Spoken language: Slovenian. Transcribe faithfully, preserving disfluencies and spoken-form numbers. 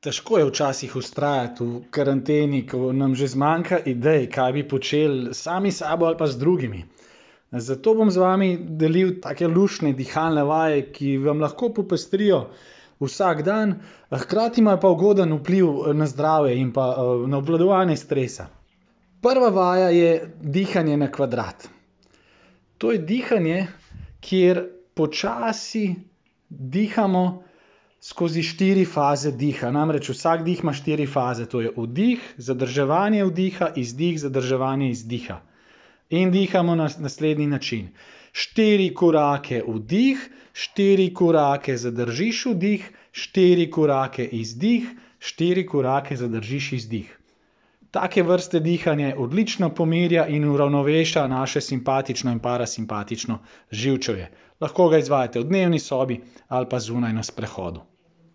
Težko je včasih vztrajati v karanteni, ko nam že zmanjka idej, kaj bi počeli sami s sabo ali pa z drugimi. Zato bom z vami delil take luštne dihalne vaje, ki vam lahko popestrijo vsak dan, hkrati imajo pa ugoden vpliv na zdravje in pa na obvladovanje stresa. Prva vaja je dihanje na kvadrat. To je dihanje, kjer počasi dihamo skozi štiri faze diha. Namreč vsak dih ima štiri faze. To je vdih, zadrževanje vdiha, izdih, zadrževanje izdiha. In dihamo na naslednji način. Štiri korake vdih, štiri korake zadržiš vdih, štiri korake izdih, štiri korake zadržiš izdih. Take vrste dihanje odlično pomirja in uravnoveša naše simpatično in parasimpatično živčevje. Lahko ga izvajate v dnevni sobi ali pa zunaj na sprehodu.